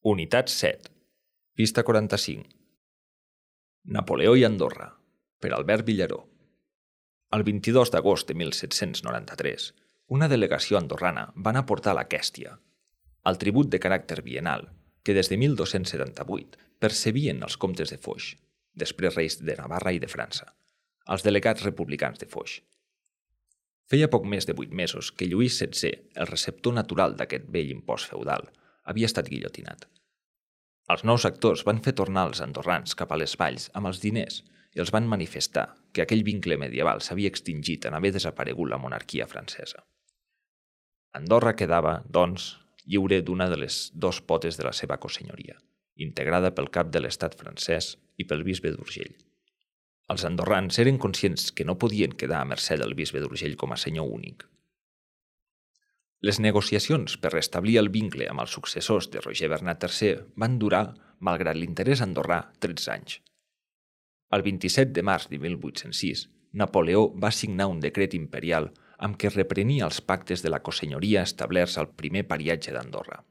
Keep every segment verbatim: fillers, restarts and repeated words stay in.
Unitat set. Pista quaranta-cinc. Napoleó i Andorra, per Albert Villaró. El vint-i-dos d'agost de mil set-cents noranta-tres, una delegació andorrana va anar a portar a l'Aquèstia, el tribut de caràcter bienal que des de mil dos-cents setanta-vuit percebien els comtes de Foix, després reis de Navarra i de França, els delegats republicans de Foix. Feia poc més de vuit mesos que Lluís setzè, el receptor natural d'aquest vell impost feudal, havia estat guillotinat. Els nous actors van fer tornar els andorrans cap a les valls amb els diners i els van manifestar que aquell vincle medieval s'havia extingit en haver desaparegut la monarquia francesa. Andorra quedava, doncs, lliure d'una de les dos potes de la seva cosenyoria, integrada pel cap de l'estat francès i pel bisbe d'Urgell. Els andorrans eren conscients que no podien quedar a mercè del bisbe d'Urgell com a senyor únic. Les negociacions per restablir el vincle amb els successors de Roger Bernat tercer van durar, malgrat l'interès andorrà, tretze anys. El vint-i-set de març de mil vuit-cents sis, Napoleó va signar un decret imperial amb què reprenia els pactes de la cosenyoria establerts al primer pariatge d'Andorra.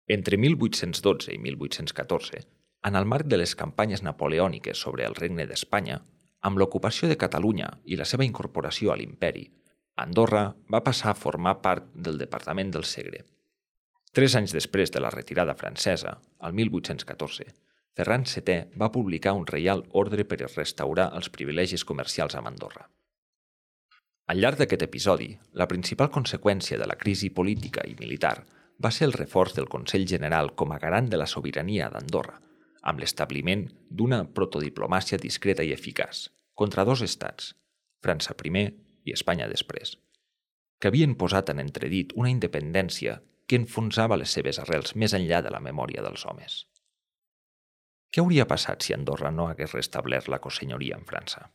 Entre mil vuit-cents dotze i mil vuit-cents catorze, en el marc de les campanyes napoleòniques sobre el Regne d'Espanya, amb l'ocupació de Catalunya i la seva incorporació a l'imperi, Andorra va passar a formar part del departament del Segre. Tres anys després de la retirada francesa, el mil vuit-cents catorze, Ferran setè va publicar un reial ordre per restaurar els privilegis comercials amb Andorra. Al llarg d'aquest episodi, la principal conseqüència de la crisi política i militar va ser el reforç del Consell General com a garant de la sobirania d'Andorra, amb l'establiment d'una protodiplomàcia discreta i eficaç contra dos estats, França primer i Espanya després, que havien posat en entredit una independència que enfonsava les seves arrels més enllà de la memòria dels homes. Què hauria passat si Andorra no hagués restablert la cosenyoria en França?